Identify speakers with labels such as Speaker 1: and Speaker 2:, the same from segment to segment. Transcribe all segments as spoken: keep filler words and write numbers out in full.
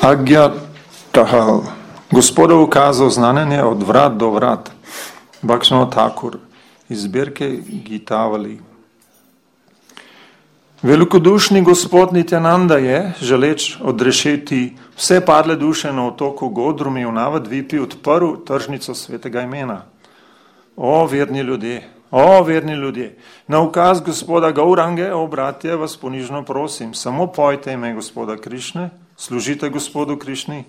Speaker 1: Agyatahal. Gospodov ukazal znamenje od vrat do vrat. Bhaktivinoda Thakur iz zbirke Gitavali. Velikodušni gospod Nityananda je, želeč odrešiti vse padle duše na otoku Godrumi v Navadvipi, odprl tržnico svetega imena. O, verni ljudje, o, verni ljudje, na ukaz gospoda Gaurange, o, bratje, vas ponižno prosim, samo pojte ime gospoda Krišne, služite gospodu Krišni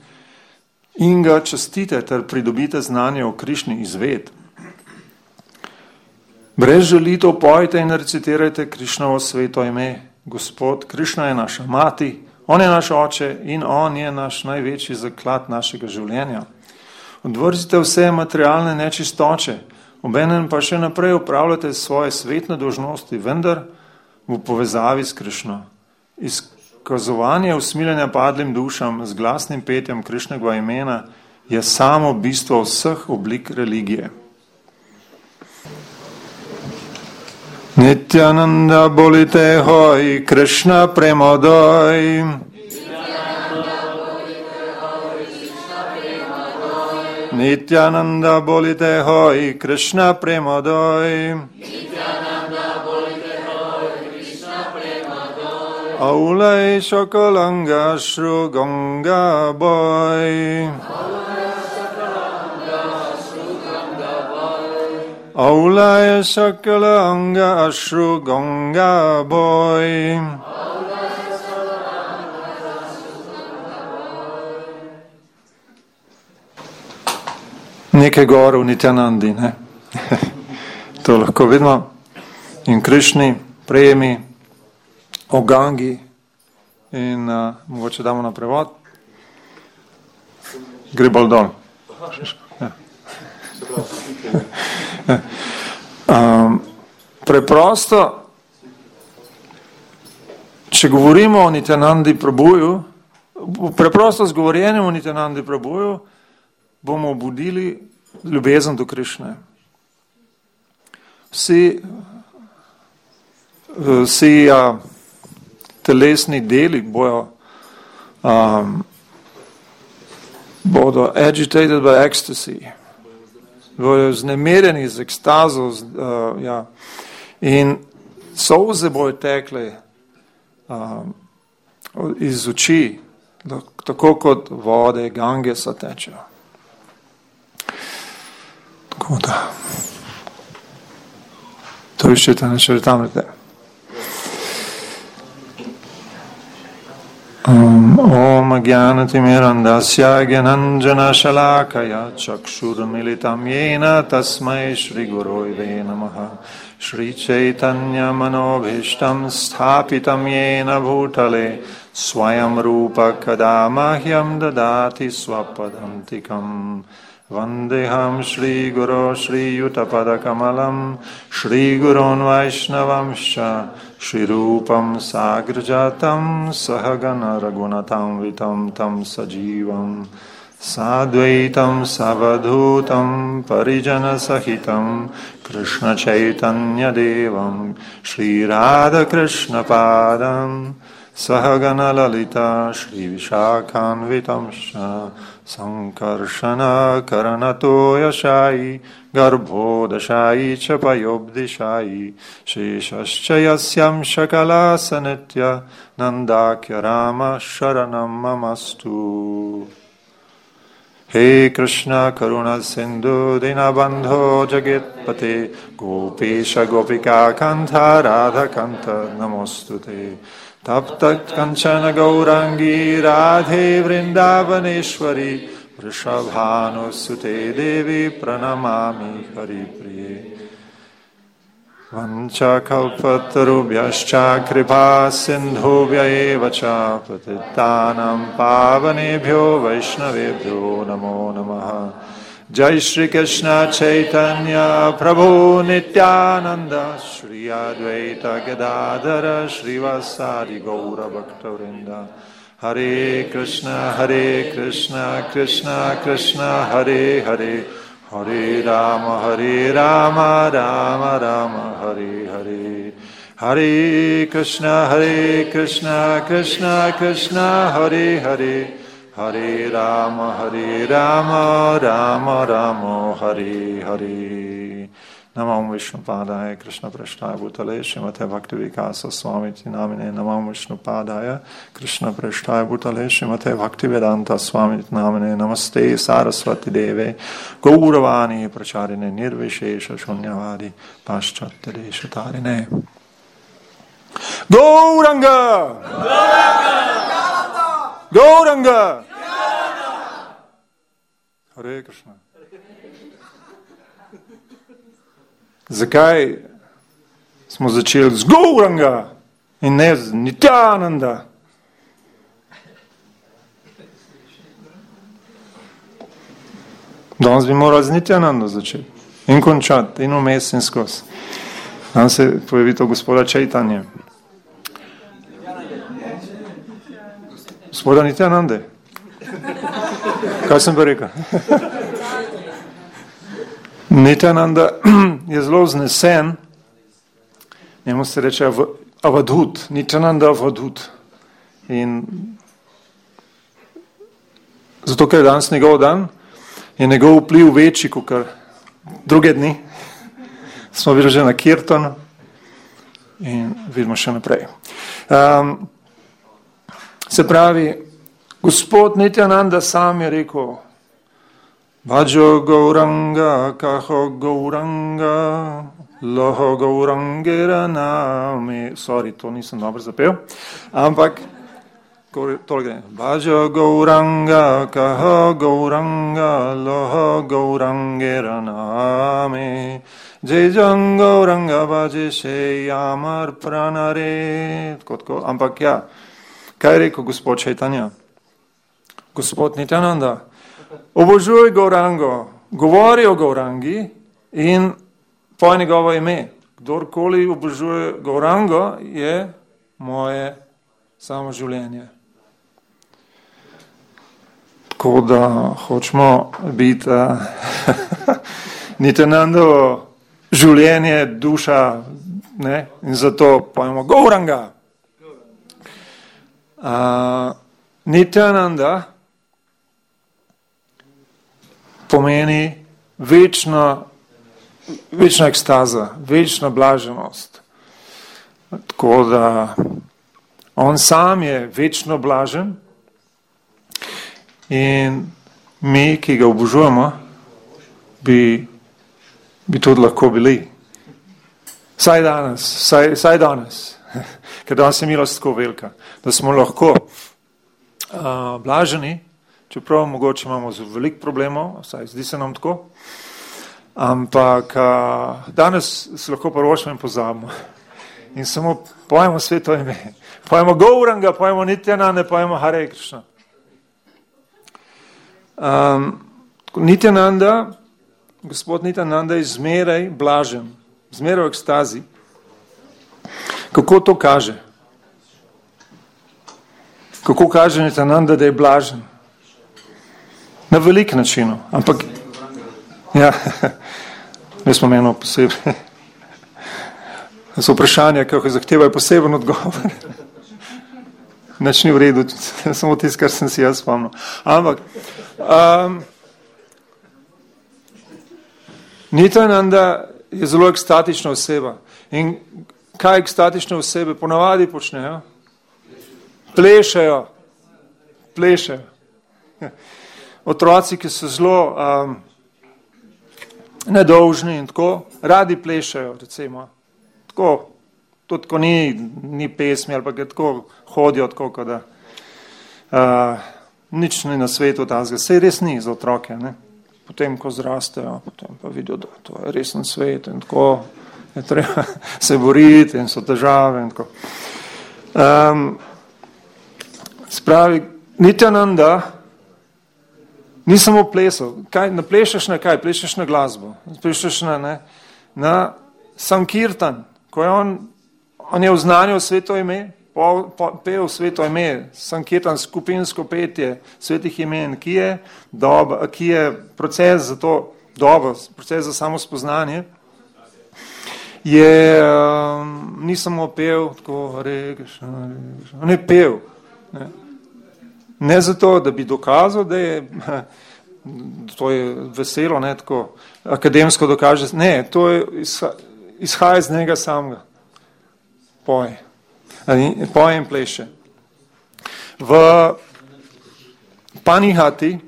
Speaker 1: in ga častite ter pridobite znanje o Krišni izved. Brez žalitev pojte in recitirajte Krišnovo sveto ime. Gospod Krišna je naša mati, on je naš oče in on je naš največji zaklad našega življenja. Odvrzite vse materialne nečistoče, obenem pa še naprej upravljate svoje svetne dolžnosti, vendar v povezavi s Krišno. Izkazovanje usmiljenja padlim dušam z glasnim petjem Krišnega imena je samo bistvo vseh oblik religije. Nityananda bolite hoj, Krišna premodoj. Nityananda bolite hoj, Krišna premodoj. Aulai Shakalanga Shru Ganga Boy. Aulaya Sakala Anga Ashru Ganga Boy. Nekaj gore v Nityanandi, ne? To lahko vidimo. In Krišni prejemi o Gangi in uh, mogoče damo na prevod. Gre bolj dol. Um, preprosto, če govorimo o Nityanandi Prabhuju, preprosto z govorjenjem o Nityanandi Prabhuju bomo obudili ljubezen do Krišne. Vsi, vsi uh, telesni deli bojo, um, bodo agitated by ecstasy. Bojo znemirjeni z ekstazo, z, uh, ja. In solze bojo tekle uh, iz oči, tako kot vode Gangesa tečejo. Tako da. To iščete, ne še tamrete. Um, Om Jnanatimirandasya Gyananjana Shalakaya Chakshurmilitam Yena Tasmai Shri Guruve Namaha Shri Chaitanya Manobhishtam Sthapitam Yena Bhutale Swayam Rupa Kadamahyam Dadati Swapadantikam Vandeham Shri Guru Shri Yutapada Kamalam Shri Gurun Vaishnavamsha Shri Rupam Sagrajatam Sahagana Ragunatam Vitam Tam Sajivam Sadvaitam Savadhutam Parijana Sahitam Krishna Chaitanya Devam Shri Radha Krishna Padam Sahagana Lalita Shri Vishakhan Vitamsha Sankarshana Karanato Yashai Garbhodashai Chapayobdishai Sheshaschayasyam Shakala Sanitya Nandakya Rama Sharanam Mamastu. He Krishna Karuna Sindhu Dinabandho Jagitpate Gopesha Gopika Kanta Radha Kanta Namostute Taptat Kanchana Gaurangi Radhe Vrindavaneshwari Vrishabhanu Sute Devi Pranamami Hari Priye Vancha Kalpatarubhyascha Kripa Sindhubhya Evacha Patitanam Pavanebhyo Vaishnavebhyo Namo Namaha Jai Shri Krishna Chaitanya Prabhu Nityananda Shri Advaita Gadadhara Shri Vasadi Gaura Bhaktavrinda Hare Krishna Hare Krishna Krishna Krishna Hare Hare Hare Rama Hare Rama Rama Rama Hare Hare Hare Krishna Hare Krishna Krishna Krishna Hare Hare Hare Rama, Hare Rama, Rama Rama, Hare Hare. Namam Vishnupadaya, Krishna Prashtaya Bhutale, Srimate Bhaktivedanta Swamiti Namine. Namam Vishnupadaya, Krishna Prashtaya Bhutale, Srimate Bhaktivedanta Swamiti Namine. Namaste Saraswati Deve, Gauravani Pracharine, Nirvishesha Shunyavadi, Paschatya Deshatarine. Gauranga! Gauranga! Gauranga! Hare Krishna. Zakaj smo začeli z Gauranga in ne z Nityananda? Danes bi morali z Nityananda začeti in končati, in vmes in skozi. Danes se pojavi to gospoda Čajtanje. Gospoda Nityanande. Kaj sem pa rekel? Nityananda je zelo znesen, njemu se reče Avadhut, Nityananda Avadhut. In zato, ker je danes njegov dan, je njegov vpliv večji kot druge dni. Smo bili že na Kirtanu in vidimo še naprej. Um, se pravi, gospod Nityananda sam je rekel, Bhajo Gauranga, Kaho Gauranga, Loho Gaurangera nami. Sorry, to nisem dobro zapel, ampak tole gre. Bhajo Gauranga, Kaho Gauranga, Loho Gaurangera nami. Jai Jang Gauranga Bhaje se Amar Pranare. Tako, tako. Ampak ja, kaj je rekel gospod Čajtanja? Gospod Nityananda, obožuj Gaurango, govori o Gaurangi in poj njegovo ime. Kdorkoli obožuje Gaurango, je moje samo življenje. Tako da hočemo biti uh, Nityanandovo življenje, duša, ne? In zato pojmo Gauranga. Uh, Nityananda pomeni večna, večna ekstaza, večna blaženost. Tako da on sam je večno blažen in mi, ki ga obožujemo, bi, bi tudi lahko bili. Saj danes, saj, saj danes, ker danes je milost tako velika, da smo lahko uh, blaženi, čeprav mogoče imamo veliko problemov, vsaj zdi se nam tako, ampak uh, danes se lahko prvošmo in pozabimo. In samo pojemo sveto ime. Pojemo Gauranga, pojemo Nityananda, pojemo Hare Krishna. Um, Nityananda, gospod Nityananda je zmeraj blažen, zmeraj v ekstazi. Kako to kaže? Kako kaže Nityananda, da je blažen? Na velik načinu, ampak ja, jaz smo eno posebej. So vprašanja, kako zahtevajo poseben odgovor. Nič ni v redu, samo tisto, kar sem si jaz spomnil. Ampak um, Nityananda je zelo ekstatična oseba. In kaj ekstatične osebe ponavadi počnejo? Plešejo. Plešejo. Otroci, ki so zelo um, nedolžni in tako, radi plešajo, recimo. Tako, tudi ko ni, ni pesmi, ali pa ga tako hodijo, tako, da uh, nič ni na svetu tazga. Sej res ni za otroke, ne? Potem, ko zrastejo, potem pa vidijo, da to je resen svet in tako, je treba se boriti in so težave in tako. Um, spravi, Nityananda ni samo plesal. Kaj, ne plešeš na kaj? Plešeš na glasbo. Plešeš na, ne, na Sankirtan. Ko je on, on je vznanil sveto ime, po, po, pel sveto ime, Sankirtan, skupinsko petje svetih imen, ki je, doba, ki je proces za to dobo, proces za samo spoznanje, je, um, ni samo pel, tako, rekaš, on je pel. Ne. Ne zato, da bi dokazal, da je, to je veselo, ne tako akademsko dokaže, ne, to je izhaja iz njega samega. Poje. Poje in pleše. V Panihati,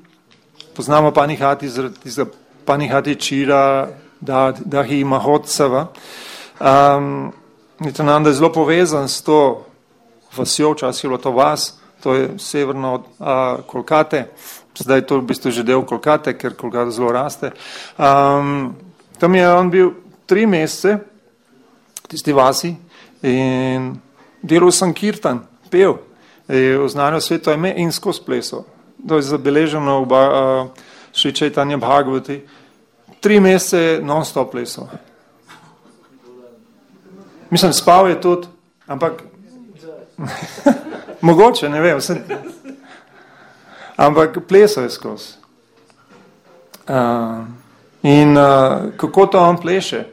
Speaker 1: poznamo Panihati, za Panihati Čira, Dahi Mahotsava, um, Nityananda je zelo povezan s to vasjo, včasih je bilo to vas, to je severno od uh, Kolkate, zdaj je to v bistvu že del Kolkate, ker Kolkata zelo raste. Um, tam je on bil tri mesece, tisti vasi, in delal Sankirtan, pel, je oznanil sveto ime in skozi plesal. To je zabeleženo v uh, Šri Čaitanja Bhagavati. Tri mesece non-stop plesal. Mislim, spal je tudi, ampak mogoče, ne vem, vse. Ampak plesal je skozi. Uh, in uh, kako to on pleše?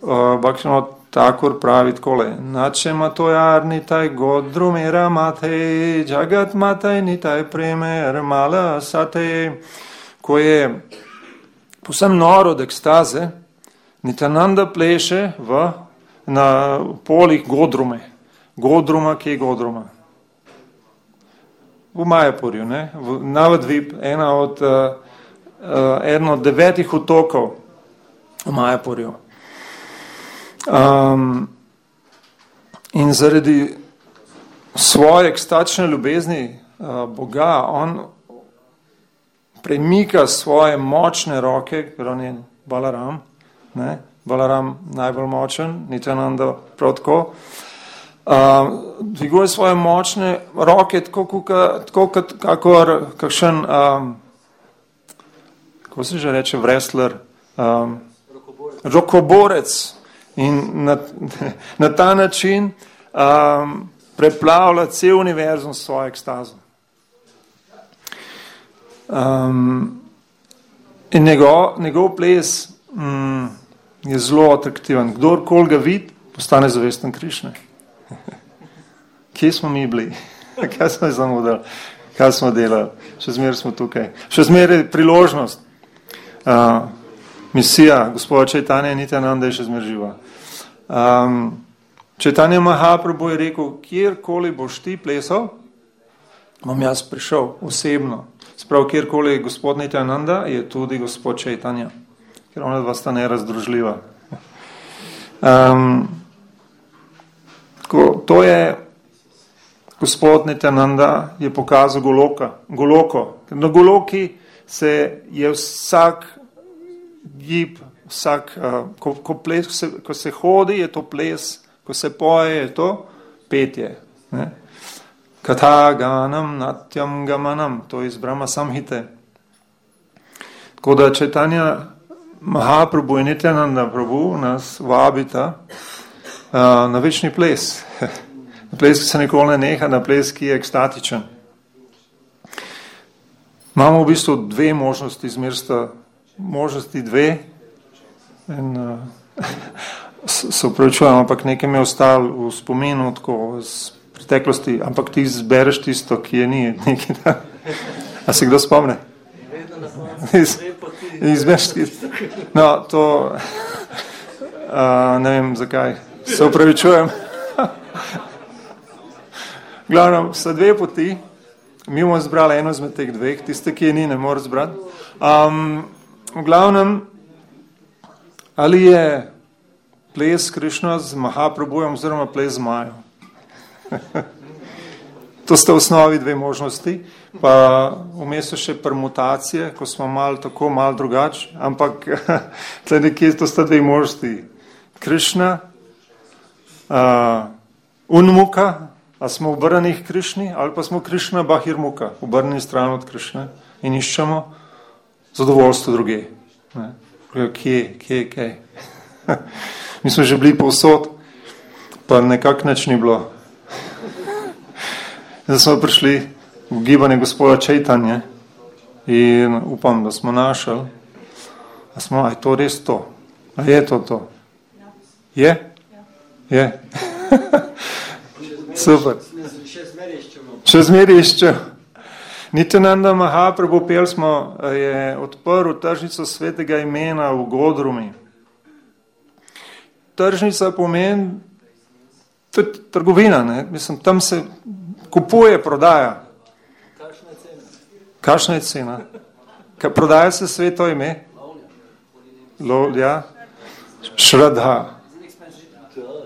Speaker 1: Uh, Bhaktivinoda Thakur pravi takole: Nače matojar nitaj godrumera matej, jagat mataj nitaj premer mala satej. Ko je povsem noro od ekstaze, Nityananda pleše v, na polih Godrume. Godruma, kje je Godruma? V Majapurju, ne? V Navadvip, ena od, uh, uh, eno od devetih otokov v Majapurju. Um, in zaradi svoje ekstatične ljubezni uh, Boga, on premika svoje močne roke, ker on je Balaram, ne? Balaram najbolj močen, Nityananda prav tako, uh, dviguje svoje močne roke tako, kuka, tako kot kakor kakšen, um, kako se že reče, wrestler, um, rokoborec. In na, na ta način um, preplavlja cel univerzum s svojo ekstazo. Um, in njegov, njegov ples um, je zelo atraktiven. Kdorkoli ga vidi, postane zavesten Krišne. Kje smo mi bili? Kaj smo zamudili? Kaj smo delali? Še zmeraj smo tukaj. Še zmeraj priložnost. Uh, misija gospoda Čaitanja Nityananda je še zmeraj živa. Um, Čaitanja Mahaprabhu je rekel, kjerkoli boš ti plesal, bom jaz prišel osebno. Sprav, kjerkoli je gospod Nityananda, je tudi gospod Čaitanja, ker ona dva sta nerazdružljiva. Um, ko, to je gospod Nityananda je pokazal Goloka, Goloko. Na Goloki se je vsak gib, vsak, uh, ko, ko, ples, ko, se, ko se hodi, je to ples, ko se poje, je to petje. Ne? Katha ganam natyam gamanam, to je iz Brahma Samhite. Tako da Čaitanja Mahaprabhu in Nityananda Prabhu nas vabita uh, na večni ples. Na ples, ki se nikoli ne neha, na ples, ki je ekstatičen. Imamo v bistvu dve možnosti, zmersta možnosti dve. In uh, se upravičujem, ampak nekaj mi je ostalo v spominu, tako z preteklosti, ampak ti zbereš tisto, ki je ni. Nekaj, a se kdo spomne? Iz, izbereš tisto. No, to uh, ne vem zakaj. Se upravičujem. Glavno, so dve poti. Mi bomo zbrali eno izmed teh dveh, tiste, ki je ni, ne more zbrati. Um, v glavnem, ali je ples Krišna z Mahaprabhujem oziroma ples z Majo. To sta v osnovi dve možnosti, pa vmes so še permutacije, ko smo malo tako, malo drugač, ampak tle nekje to sta dve možnosti. Krišna, uh, Unmuka, a smo obrnjeni k Krišni, ali pa smo Krišna Bahirmuka, obrnjeni stran od Krišne in iščemo zadovoljstvo druge. Ne? Kje, kje, kje? Mi smo že bili povsod, pa nekak nič ni bilo. Zdaj smo prišli v gibanje gospoda Čaitanje in upam, da smo našli. A smo, a je to res to? A je to to? Je? Je? Super. Še zmeri iščemo. Še zmeri iščemo. Nityananda Mahaprabhu pel smo, je odprl tržnico svetega imena v Godrumi. Tržnica pomeni, to je trgovina, ne? Mislim, tam se kupuje, prodaja.
Speaker 2: Kakšna je cena?
Speaker 1: Kakšna je cena? Ka, prodaja se sveto ime? Lo, ja. Šradha.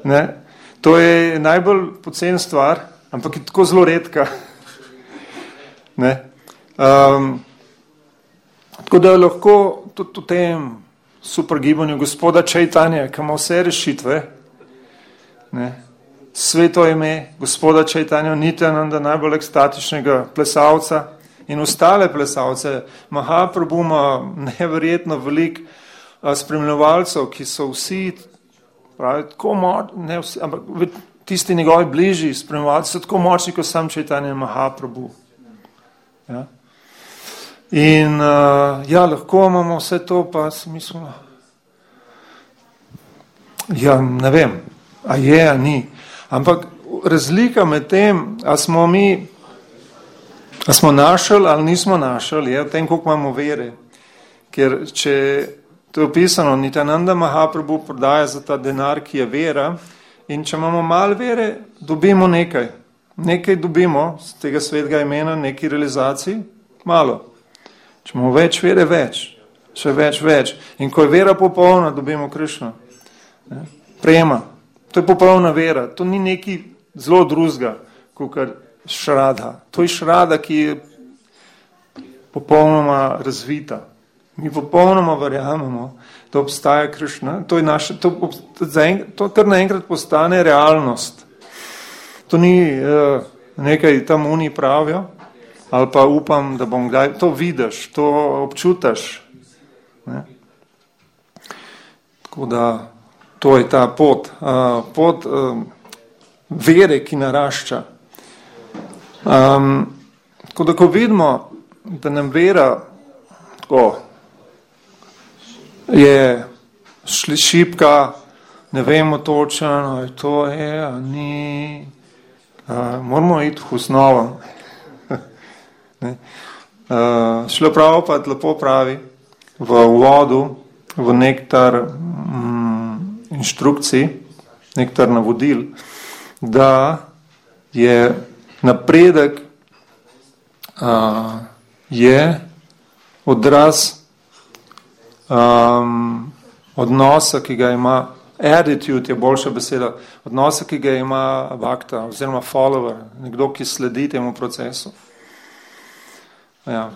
Speaker 1: Ne? To je najbolj pocen stvar, ampak je tako zelo redka. Ne? Um, tako da lahko tudi v tem super gibanju gospoda Čajtanja, ki ima vse rešitve, ne? Sveto ime gospoda Čajtanja, Nityananda, najbolj ekstatičnega plesalca in ostale plesalce. Mahaprabhu ima neverjetno veliko spremljevalcev, ki so vsi, pravi, tako močni, ne vsi, ampak tisti njegovi bližji spremljevalci so tako močni, kot sam Čajtanja Mahaprabhu. Ja. In uh, ja, lahko imamo vse to, pa si mislimo, ja, ne vem, a je, a ni. Ampak razlika med tem, a smo mi, a smo našli ali nismo našli, je v tem, koliko imamo vere. Ker če to je opisano, Nityananda Mahaprabhu prodaja za ta denar, ki je vera, in če imamo malo vere, dobimo nekaj. Nekaj dobimo z tega svetega imena, neki realizaciji, malo. Če imamo več vere, več. Še več, več. In ko je vera popolna, dobimo Krišno. Prejema. To je popolna vera. To ni neki zelo drugega, kot šrada. To je šrada, ki je popolnoma razvita. Mi popolnoma verjamemo, da obstaja Krišna. To je naše, to, to kar naenkrat postane realnost. To ni uh, nekaj tam oni pravijo, ali pa upam, da bom kdaj, to vidiš, to občutaš. Ne? Tako da, to je ta pot, uh, pot uh, vere, ki narašča. Um, tako da, ko vidimo, da nam vera tako, je šipka, ne vemo točno, ali to je, ali ni, uh, moramo iti v osnovo. Uh, šlo prav pa lepo pravi v uvodu, v nektar mm, inštrukcij, nektar navodil, da je napredek uh, je odraz um, odnosa, ki ga ima, attitude je boljša beseda, odnosa, ki ga ima bhakta oziroma follower, nekdo, ki sledi temu procesu. Ja.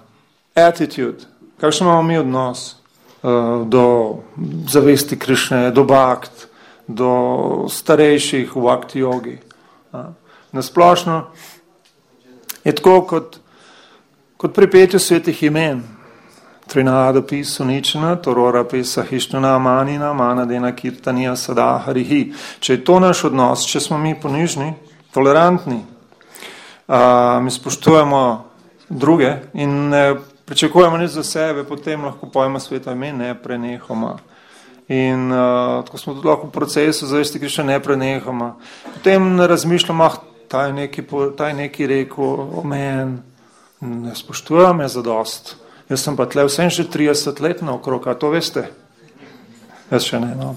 Speaker 1: Attitude. Kakšen imamo mi odnos uh, do zavesti Krišne, do bhakt, do starejših v bhakti jogi. Ja. Nasplošno je tako kot, kot pri petju svetih imen. Trinada pisu nična, torora pisa hištuna manina, manadena kirtanija sada harihi. Če je to naš odnos, če smo mi ponižni, tolerantni, uh, mi spoštujemo druge in ne pričakujemo nič za sebe, potem lahko pojmo sveto ime neprenehoma. In uh, tako smo tudi lahko v procesu zavesti Krišne neprenehoma. Potem ne razmišljamo, ah, ta je neki, ta je neki rekel o meni, ne spoštujem je zadost. Jaz sem pa tle vsem že trideset let naokrog, a to veste? Jaz še ne, no.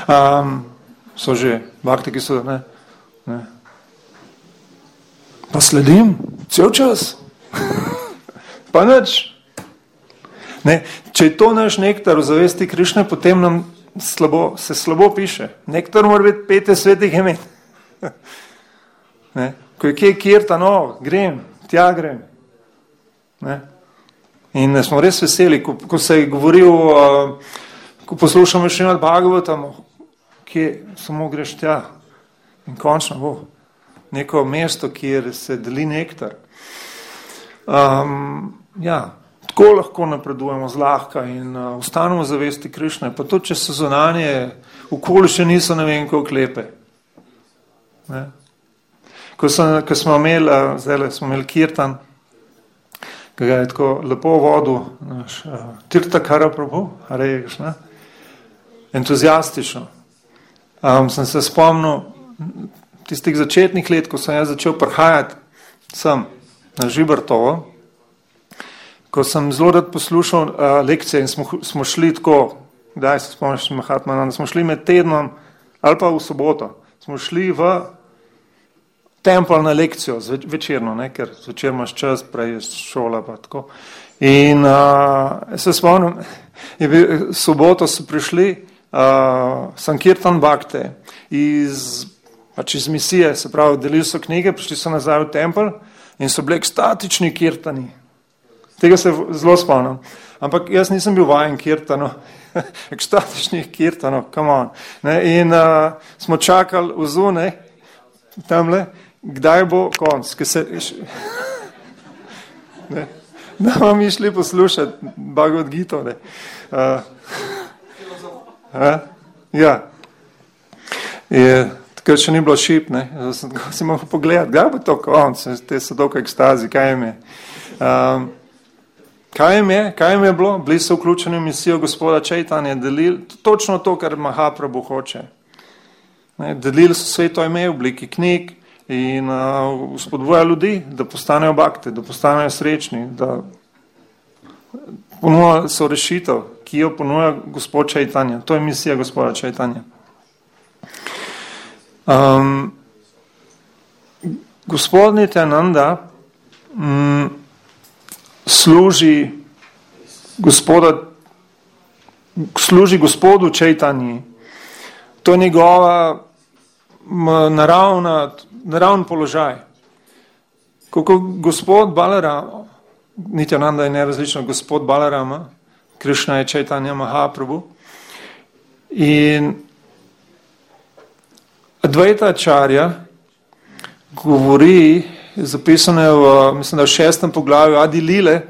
Speaker 1: Um, so že bhakti, ki so, ne, ne. Pa sledim, cel čas. Pa nič. Ne, če je to naš nektar v zavesti Krišne, potem nam slabo, se slabo piše. Nektar mora biti pete svetih imen. Ne, ko je kje kirtan, no, grem, tja grem. Ne. In smo res veseli, ko, ko se je govoril, uh, ko poslušamo še nad Bhagavatom, kje samo greš tja. In končno bo neko mesto, kjer se deli nektar. Um, ja, tako lahko napredujemo zlahka in uh, ostanemo zavesti Krišne, pa tudi, če so zunanje okoliščine niso ne vem koliko lepe. Ne? Ko, so, ko smo imeli, uh, zdaj smo imeli kirtan, ki ga je tako lepo vodil naš uh, Tirthankara Prabhu, reješ, ne? Entuzijastično. Um, sem se spomnil tistih začetnih let, ko sem jaz začel prihajati sem na Žibrtovo, ko sem zelo rad poslušal uh, lekcije in smo, smo šli tako, kdaj se spomniš Mahatmana, smo šli med tednom ali pa v soboto, smo šli v tempel na lekcijo, zveč, večerno, ne, ker zvečer imaš čas, prej je šola pa tako. In uh, se spomnim, je bil, soboto so prišli uh, Sankirtan Bhakte iz, pač iz misije, se pravi, delili so knjige, prišli so nazaj v tempel in so bili ekstatični kirtani. Tega se zelo spomnim. Ampak jaz nisem bil vajen kirtanov, ekstatičnih kirtanov, come on. Ne, in uh, smo čakali v zunaj, tamle, kdaj bo konc, ki se... Ne. Da bomo mi šli poslušati Bhagavad Gita. Uh, uh, ja. Je, takrat še ni bilo šip, ne. Sem si mogel pogledati, kdaj bo to konc, te so dolgo ekstazi, kaj jim je. Um, kaj jim je, kaj jim je bilo? Bili so vključeni v misijo gospoda Čaitanje, delili točno to, kar Mahaprabhu hoče. Ne, delili so sveto ime v obliki knjig, in uh, spodbuja ljudi, da postanejo bhakte, da postanejo srečni, da ponuja so rešitev, ki jo ponuja gospod Čaitanja. To je misija gospoda Čaitanja. Um, gospod Nityananda um, služi gospoda, služi gospodu Čaitanji. To je njegova naravna naravn položaj. Kako gospod Balarama, Nityananda je nerazlično, gospod Balarama, Krišna je Čaitanja Mahaprabhu, in Advaita Acharya govori, zapisano je v, mislim, da v šestem poglavju Adi Lile,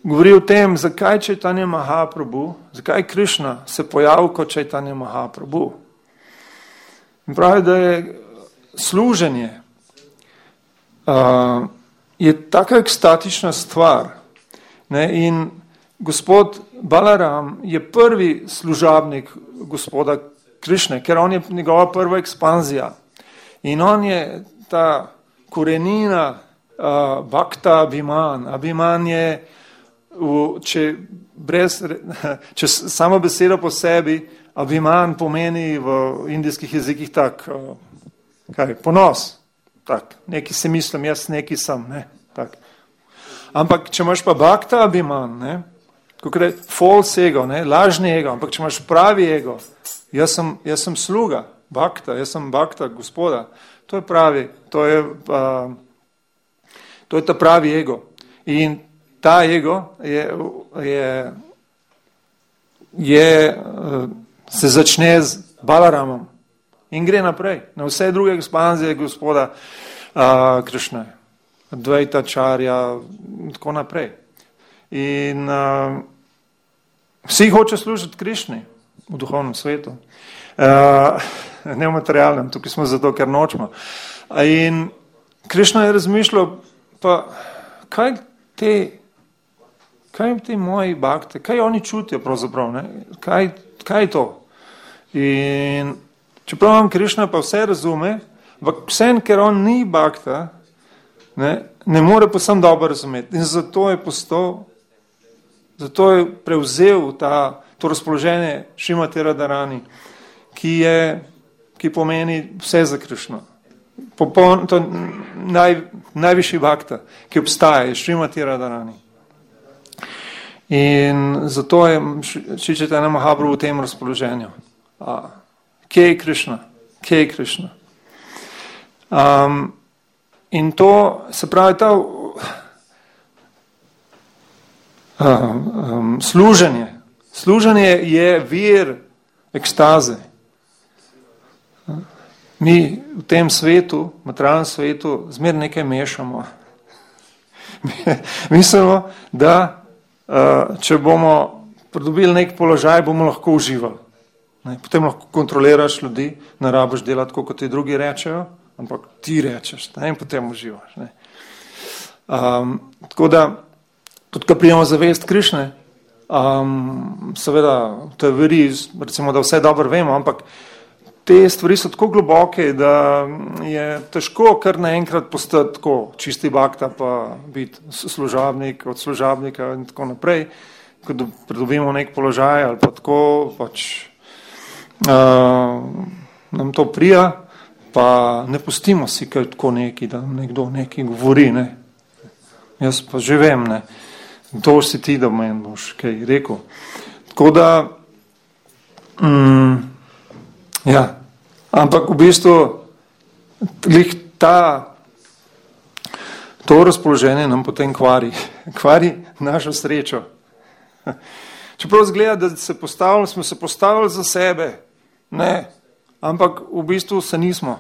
Speaker 1: govori o tem, zakaj Čaitanja Mahaprabhu, zakaj Krišna se pojavil kot Čaitanja Mahaprabhu. In pravi, da je služenje uh, je taka ekstatična stvar. Ne? In gospod Balaram je prvi služabnik gospoda Krišne, ker on je njegova prva ekspanzija. In on je ta korenina uh, bhakta abhiman. Abhiman je, v, če, brez, če samo besedo po sebi, abhiman pomeni v indijskih jezikih tak, uh, kaj, ponos, tak, neki si mislim, jaz neki sem, ne, tak. Ampak, če imaš pa bhakta abhiman, ne, kako je false ego, ne, lažni ego, ampak če imaš pravi ego, jaz sem, jaz sem sluga, bhakta, jaz sem bhakta gospoda, to je pravi, to je, uh, to je ta pravi ego. In ta ego je, je, je uh, se začne z Balaramom. In gre naprej, na vse druge ekspanzije gospoda uh, Krišne, Advaita Acharya, in tako naprej. In uh, vsi hoče služiti Krišni v duhovnem svetu. Uh, ne v materialnem, tukaj smo zato, ker nočemo. In Krišna je razmišljal, pa kaj te, kaj te moji bhakte, kaj oni čutijo pravzaprav, ne? Kaj, kaj je to? In čeprav vam Krišna pa vse razume, vsem, ker on ni bhakta, ne, ne more posem dobro razumeti. In zato je postal, zato je prevzel ta, to razpoloženje Šrimati Radharani, ki je, ki pomeni vse za Krišno. Popoln, to naj, najvišji bhakta, ki obstaja, je Šrimati Radharani. In zato je Šri Čaitanja Mahaprabhu v tem razpoloženju. A, kje je Krišna? Kje je Krišna? Um, in to, se pravi, ta uh, um, služenje. Služenje je vir ekstaze. Mi v tem svetu, materialnem svetu, zmer nekaj mešamo. Mislimo, da uh, če bomo pridobili nek položaj, bomo lahko uživali. Ne, potem lahko kontroliraš ljudi, ne rabiš delati, kot ti drugi rečejo, ampak ti rečeš, ne, in potem uživaš. Ne. Um, tako da, tudi ko prijemo zavest Krišne, um, seveda, to je veri, recimo, da vse dobro vemo, ampak te stvari so tako globoke, da je težko kar naenkrat postati tako čisti bakta, pa biti služabnik od služabnika in tako naprej, ko pridobimo nek položaj ali pa tako, pač uh, nam to prija, pa ne pustimo si kaj tako neki, da nam nekdo nekaj govori, ne. Jaz pa že vem, ne. To si ti, da meni boš kaj rekel. Tako da, mm, ja, ampak v bistvu lih ta, to razpoloženje nam potem kvari, kvari našo srečo. Čeprav zgleda, da se postavili, smo se postavili za sebe, ne, ampak v bistvu se nismo.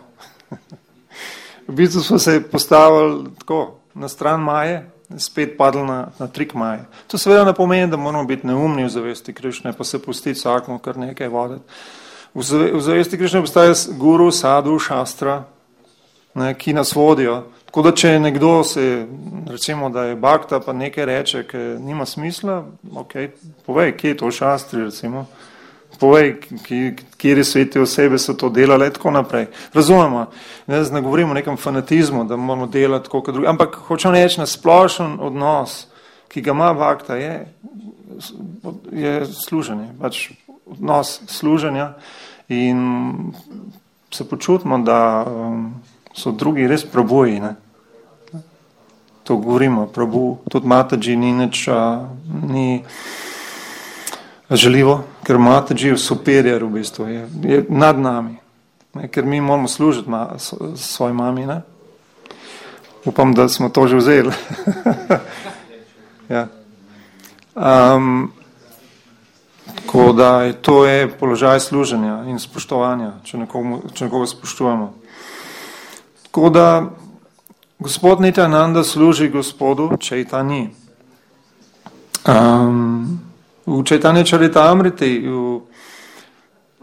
Speaker 1: V bistvu smo se postavili tako na stran Maje, spet padli na, na trik Maje. To seveda ne pomeni, da moramo biti neumni v zavesti Krišne, pa se pustiti vsakmu kar nekaj voditi. V, zave, v zavesti Krišne postaje guru, sadhu, šastra, ne, ki nas vodijo. Tako da, če nekdo se, recimo, da je bakta, pa nekaj reče, ki nima smisla, ok, povej, kje je to v šastri, recimo. Povej, kjeri sveti osebe so to delali, tako naprej. Razumemo, ne, ne govorimo o nekem fanatizmu, da moramo delati tako kot drugi, ampak hočem reči, na splošen odnos, ki ga ima bakta, je, je služenje, pač odnos služenja in se počutimo, da um, so drugi res prabuji, ne. To govorimo, prabu, tudi Mataji ni nič, a, ni želivo, ker Mataji je superior v bistvu, je, je nad nami, ne, ker mi moramo služiti ma, svoj mami, ne. Upam, da smo to že vzeli. Ja. Um, tako da je, to je položaj služenja in spoštovanja, če nekoga, če nekoga spoštujemo. Tako da gospod Nityananda služi gospodu Chaitani. Um, v Chaitanya Charitamriti, v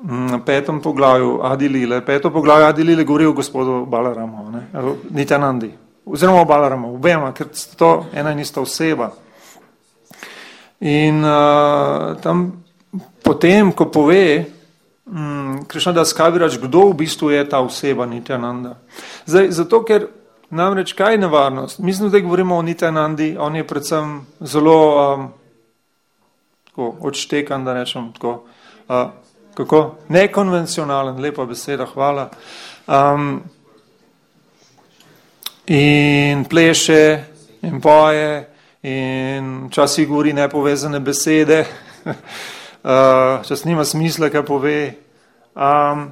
Speaker 1: na petem poglavju Adi Lile, peto poglavje Adi Lile govori o gospodu Balaramu, ne, Nityanandi, oziroma o Balaramu, obema, ker sta to ena in ista oseba. In uh, tam potem, ko pove um, Krišnadas Kavirač, kdo v bistvu je ta oseba Nityananda. Zdaj, zato, ker namreč kaj je nevarnost? Mislim, da govorimo o Nityanandi, on je predvsem zelo um, tako, odštekan, da rečem tako, uh, kako? Nekonvencionalen, lepa beseda, hvala. Um, in pleše, in poje, in včasih govori nepovezane besede, uh, čas nima smisla, kaj pove. Um,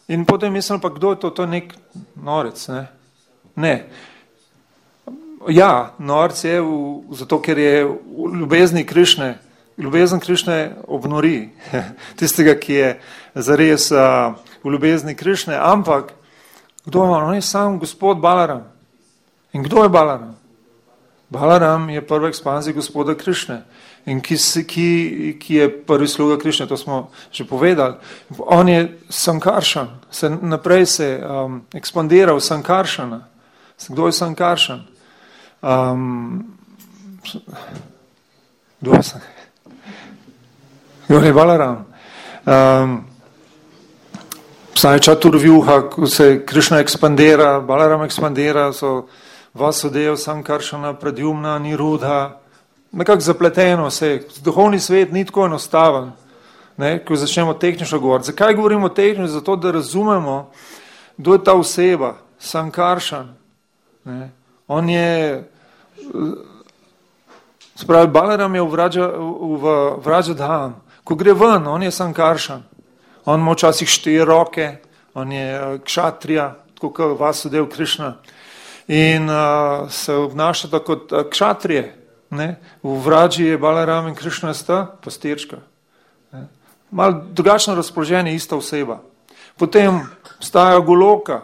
Speaker 1: in potem mislim, pa kdo je to? To je nek norec, ne? Ne. Ja, norec je v, zato, ker je v ljubezni Krišne, ljubezen Krišne obnori tistega, ki je zares uh, v ljubezni Krišne, ampak kdo je on? On je sam gospod Balaram. In kdo je Balaram? Balaram je prva ekspanzija gospoda Krišne, in ki, ki, ki je prvi sluga Krišne, to smo že povedali. On je Sankaršan, se naprej se um, ekspandira v Sankaršana. Kdo je Sankaršan? Um, kdo je Sankaršan? Kdo je Balaram? Um, Saj Čaturvjuha, ko se Krišna ekspandira, Balaram ekspandira, so Vasudev, Sankaršana, Pradyumna, Nirudha, nekako zapleteno se. Duhovni svet ni tako enostaven, ne, ko začnemo tehnično govoriti. Zakaj govorimo tehnično? Zato, da razumemo, kdo je ta oseba, Sankaršan. Ne. On je, spravi, Balaram je v, Vraja, v Vrajadham. Ko gre ven, on je Sankaršan. On ima včasih štiri roke, on je kšatrija, tako kot Vasudev Krišna. In uh, se obnaša tako kot uh, kšatrije. Ne? V Vraji je Balaram in Krišna sta pastirčka. Malo drugačno razpoloženje, ista oseba. Potem obstaja Goloka,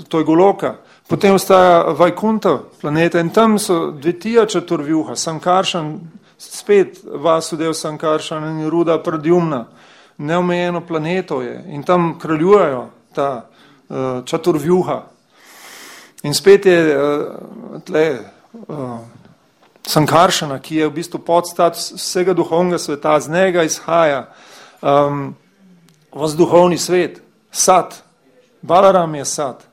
Speaker 1: to je Goloka. Potem obstaja Vajkunta planeta in tam so Dvitija Čaturvjuha, Sankaršan, spet Vasudev Sankaršan in Ruda Pradyumna. Neomejeno planeto je in tam kraljujejo ta uh, Čaturvjuha. In spet je uh, tle uh, Sankaršana, ki je v bistvu podstat vsega duhovnega sveta, z njega izhaja um, vas duhovni svet. sad. Balaram je sad.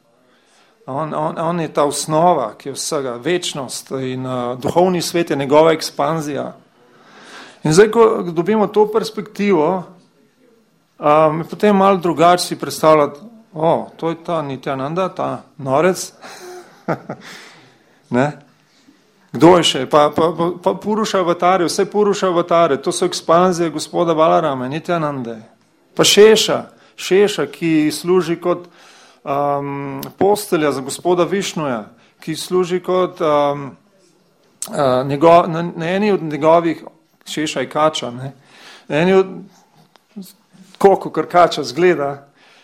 Speaker 1: On, on, on je ta osnova, ki je vsega, večnost in uh, duhovni svet je njegova ekspanzija. In zdaj, ko dobimo to perspektivo, um, je potem malo drugače si predstavljati, o, to je ta Nityananda, ta norec. Ne? Kdo je še? Pa, pa, pa, pa Puruša avatare, vse Puruša avatare, to so ekspanzije gospoda Balarama, Nityanande. Pa Šeša, Šeša, ki služi kot um, postelja za gospoda Višnuja, ki služi kot um, uh, njegov, na, na eni od njegovih, Šeša je kača, ne? Na eni od, koliko kar kača zgleda,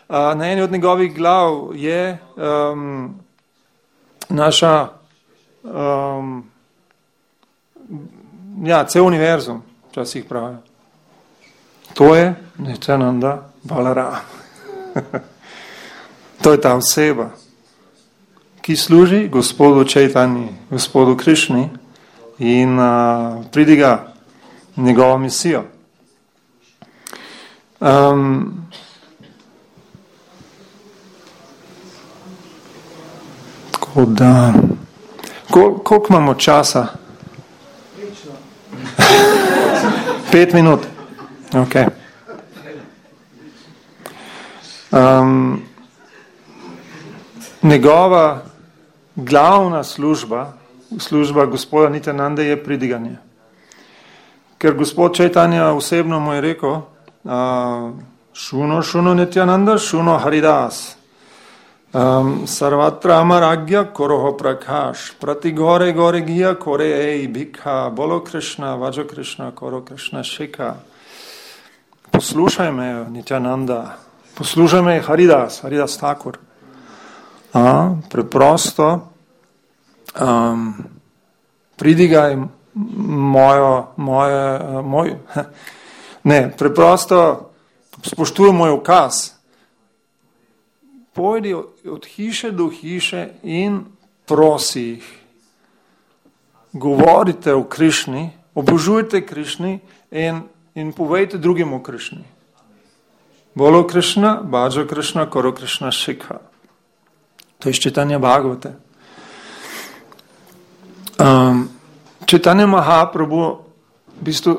Speaker 1: uh, na eni od njegovih glav je um, naša um, ja, cel univerzum, včasih pravijo. To je Nityananda Balaram. To je ta oseba, ki služi gospodu Čaitanji, gospodu Krišni in uh, pridiga njegovo misijo. Um, tako da, kol, koliko imamo časa? Pet minut. Ok. Um, njegova glavna služba, služba gospoda Nityanande je pridiganje. Ker gospod Čaitanja osebno mu je rekel, uh, šuno, šuno Nityananda, šuno Haridas. Um, Sarvatra amaragya koroho prakash, prati gore gore gija kore ej bhikha, bolo Krishna, vajo Krishna, koro Krishna shika. Poslušaj me, Nityananda, poslušaj me, Haridas, Haridas Thakur. A, preprosto um, pridigaj mojo, moje, moj, ne, preprosto spoštuj moj ukaz. Pojdi od hiše do hiše in prosi jih. Govorite o Krišni, obožujte Krišni in, in povejte drugim o Krišni. Bolo Krišna, bhajo Krišna, koro Krišna shikha. To je Čaitanja Bhagavate. Um, Čaitanja Mahaprabhu, v bistvu,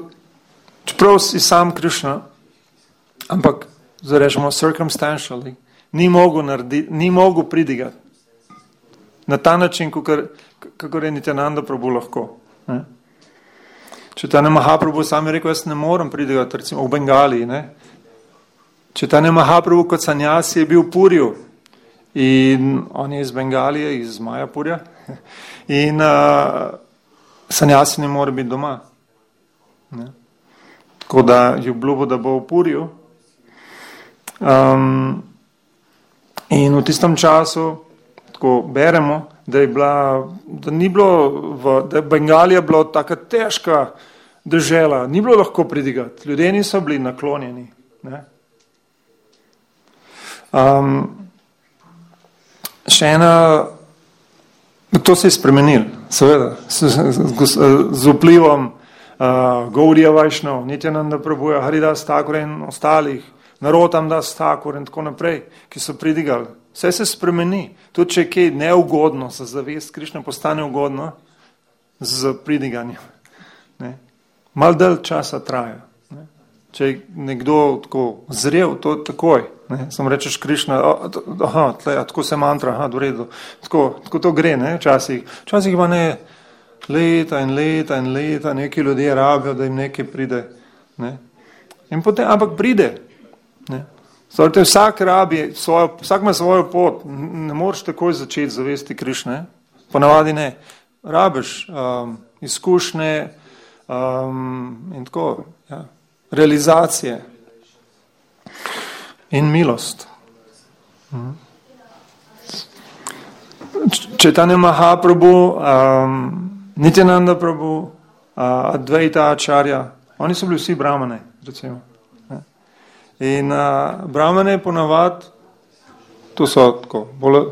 Speaker 1: čeprav si sam Krišna, ampak, zarečemo, circumstantially, ni mogel narediti, ni mogel pridigati. Na ta način, kakor, kakor je Nityananda Prabhu lahko. Ne? Čaitanja Mahaprabhu sam je rekel, jaz ne morem pridigati, recimo v Bengaliji. Ne? Čaitanja Mahaprabhu kot sanjasi je bil v Puriju in on je iz Bengalije, iz Majapurja in uh, sanjasi ne more biti doma. Ne? Tako da je obljubil, da bo v Puriju. Um, In v tistem času, tako beremo, da je bila, da ni bilo, v, da je Bengalija bila taka težka dežela, ni bilo lahko pridigati, ljudje niso bili naklonjeni. Ne? Um, še ena, to se je spremenil, seveda, z, z, z, z vplivom uh, Gaudija Vajšnava, Nityananda Prabhuja, Haridas Thakur in ostalih, Narotam Das Thakur in tako naprej, ki so pridigali. Vse se spremeni. Tudi če je kaj neugodno za zavest Krišne, postane ugodno z pridiganjem. Ne? Mal dalj časa traja. Ne? Če je nekdo tako zrel, to takoj. Ne? Samo rečeš Krišna, aha, tle, tako se mantra, aha, do redu. Tako, tako to gre, ne, včasih. Včasih pa ne leta in leta in leta, neki ljudje rabijo, da jim nekaj pride. Ne? In potem, ampak pride. Ne? Zdaj, vsak rabi, svojo, vsak ima svojo pot, ne moreš takoj začeti zavesti Krišne, ponavadi ne. Rabiš um, izkušnje um, in tako, ja, realizacije in milost. Mhm. Čaitanja Mahaprabhu, um, Nityananda Prabhu, uh, Advaita Acharya, oni so bili vsi brahmane, recimo. In uh, brahmane ponavad, to so tako, bolj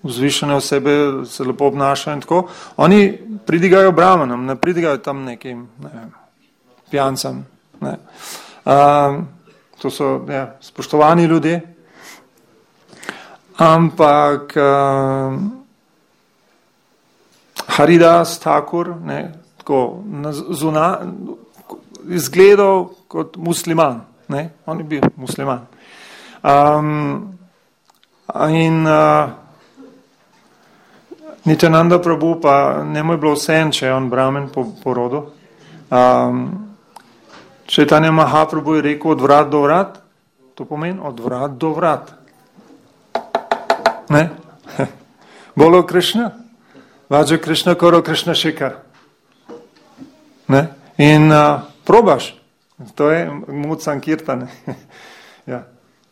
Speaker 1: vzvišene osebe, se lepo obnašajo in tako, oni pridigajo brahmanom, ne pridigajo tam nekim ne vem, pijancam. Ne. Uh, to so ja, spoštovani ljudje ampak uh, Haridas Thakur, ne, tako zuna, izgledal kot musliman, ne, on je bil musliman. Um, in uh, Nityananda Prabhu pa ne mu je bilo vsem, če je on brahmen po, po rodu. Um, Chaitanya Mahaprabhu je rekel od vrat do vrat, to pomeni od vrat do vrat. Ne? Bolo Krishna, Vajo Krishna, Koro Krishna Shikar. Ne? In uh, probaš, to je Mud Sankirtane. Ja.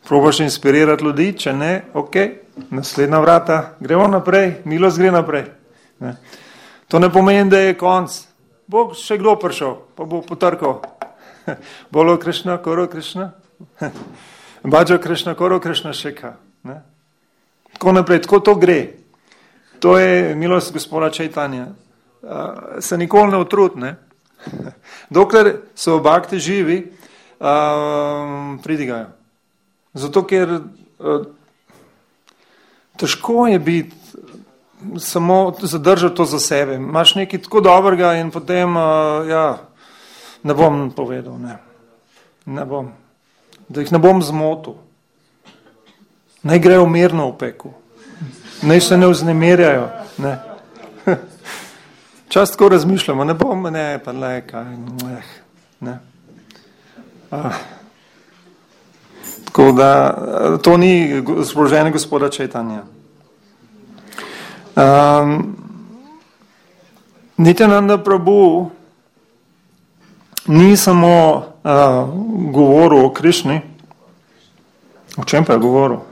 Speaker 1: Probaš inspirirati ljudi, če ne, ok, naslednja vrata, gremo naprej, milost gre naprej. Ne? To ne pomeni, da je konc. Bo še kdo prišel, pa bo potrkal. Bolo Krishna, Koro Krishna, Bhajo Krishna, Koro Krishna Shikha. Ne? Tako naprej, tako to gre. To je milost gospoda Chaitanya. Uh, se nikoli ne utrudi, ne? Dokler so v bhakti živi, uh, pridigajo. Zato, ker uh, težko je biti samo zadržati to za sebe. Imaš nekaj tako dobrega in potem, uh, ja, ne bom povedal, ne. Ne bom. Da jih ne bom zmotil. Naj grejo mirno v peku. Naj se ne vznemirjajo. Ne. Čas tako razmišljamo, ne bom, ne, pa le, kaj, eh, ne. Ah. Tako da, to ni sproženje gospoda Chaitanya. Um, Nityananda Prabhu ni samo uh, govoril o Krišni, o čem pa je govoril?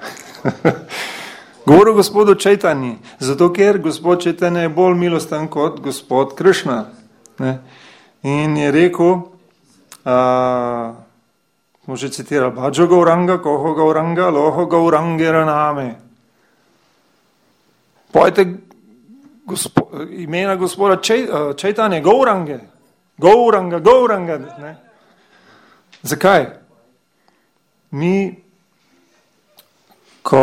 Speaker 1: Govoril o gospodu Chaitanji, zato ker gospod Chaitanya je bolj milosten kot gospod Krišna. Ne? In je rekel, uh, smo že citirali, Bhajo Gauranga, Koho Gauranga, Loho Gaurangera name. Pojte gospo, imena gospoda Chaitanya, Gaurange, Gauranga, Gauranga. Ne? Zakaj? Mi, ko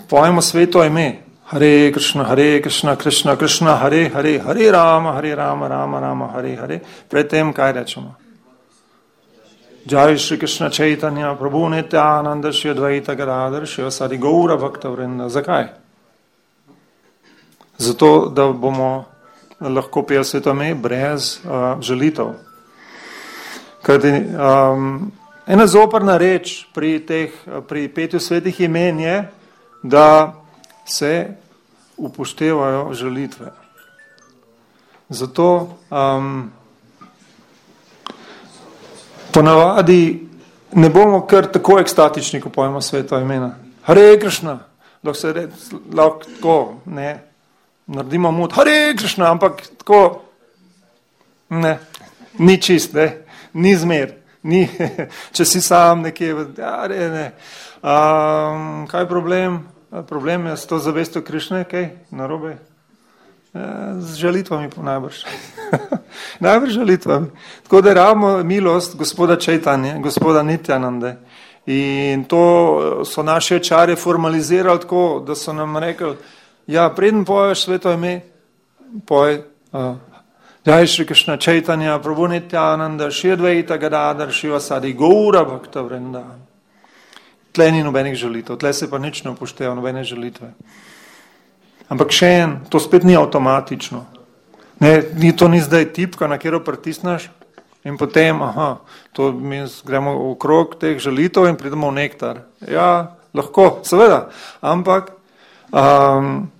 Speaker 1: pojemo sveto ime, Hare Krishna, Hare Krishna, Krishna Krishna, Hare Hare, Hare Rama, Hare Rama, Rama Rama, Hare Hare, predtem kaj rečemo? Jai Shri Krishna Chaitanya, Prabhu Nityananda, Shri Advaita Gadadhar, Shri Vasari Gaura Bhakta Vrinda. Zakaj? Zato, da bomo lahko peli sveto ime brez uh, žalitev. Kajti um, ena zoprna reč pri, teh, pri petju svetih imen je, da se upoštevajo žalitve. Zato um, ponavadi ne bomo kar tako ekstatični, ko pojemo sveto imena. Hare Krishna, lahko se reči, lahko tako, ne, naredimo mud, Hare Krishna, ampak tako, ne, ni čist, ne, ni zmer, ni, če si sam nekje, ja, ne, ne. Um, kaj je problem? Problem je s to zavestjo Krišne, kaj, narobe? Z žalitvami po najbrž. Najbrž žalitvami. Tako da rabimo milost gospoda Chaitanje, gospoda Nityanande. In to so naše čare formalizirali tako, da so nam rekli, ja, preden poješ sveto ime, poj uh, Jai Shri Krishna Chaitanya, Prabhu Nityananda, Shri Advaita Gadadhar, Shri Vasari Gaura Bhakta Vrinda. Tle ni nobenih žalitev, tle se pa nič ne upošteva, nobene žalitve. Ampak še en, to spet ni avtomatično. Ne, ni, to ni zdaj tipka, na katero pritisneš in potem, aha, to mi gremo okrog teh žalitev in pridemo v nektar. Ja, lahko, seveda, ampak um,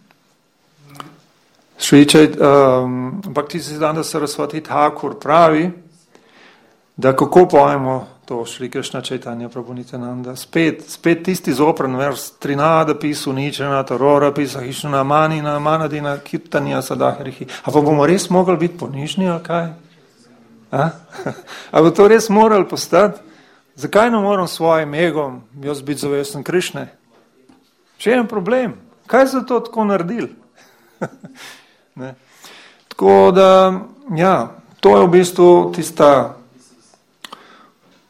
Speaker 1: Švičaj, um, Bhaktisiddhanta Saraswati Thakur pravi, da kako pojemo to Šri Krishna Chaitanya Prabhu Nityananda, spet, spet tisti zopren vers, trinada pisu ničena, tarora pisa hišna, manina, manadina, kirtanja, sadahrihi. A pa bomo res mogli biti ponižni, ali kaj? A? A bo to res morali postati? Zakaj ne moram svojim egom, jaz biti zavesten Krišne? Še en problem. Kaj so to tako naredili? Ne. Tako da, ja, to je v bistvu tista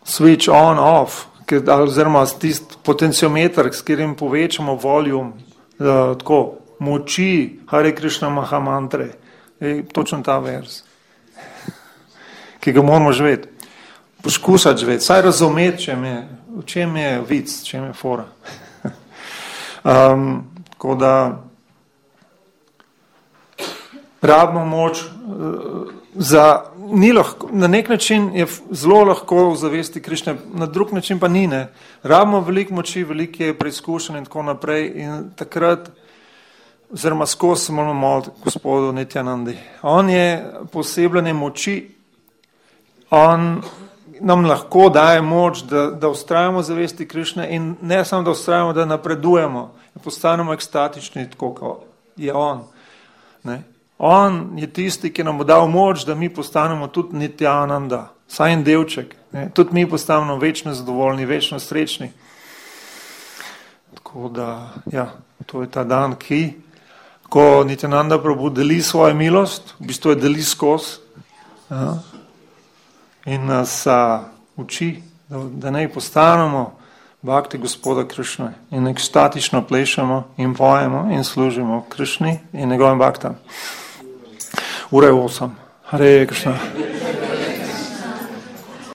Speaker 1: switch on, off, oziroma tisti potenciometer, s katerim povečamo voljum, tako, moči Hare Krishna Mahamantre, je točno ta vers, ki ga moramo živeti. Poskusati živeti, saj razumeti, čem je, v čem je vic, čem je fora. Um, tako da rabimo moč uh, za, ni lahko, na nek način je zelo lahko zavesti Krišne, na drug način pa ni, ne. Rabimo veliko moči, veliko je preizkušenj in tako naprej in takrat, oziroma skozi se moramo moliti gospodu Nityanandi. On je posebljene moči, on nam lahko daje moč, da, da ustrajamo zavesti Krišne in ne samo, da ustrajamo, da napredujemo, da postanemo ekstatični, tako kot je on. Ne? On je tisti, ki nam bo dal moč, da mi postanemo tudi Nityananda, saj en delček. Ne? Tudi mi postanemo večno zadovoljni, večno srečni. Tako da, ja, to je ta dan, ki, ko Nityananda Prabhu deli svojo milost, v bistvu je deli skozi, ja, in nas a, uči, da, da naj postanemo bhakti gospoda Krišne in ekstatično plešemo in pojemo in služimo Krišni in njegovim bhaktam. Ura je osem. Hare Krishna.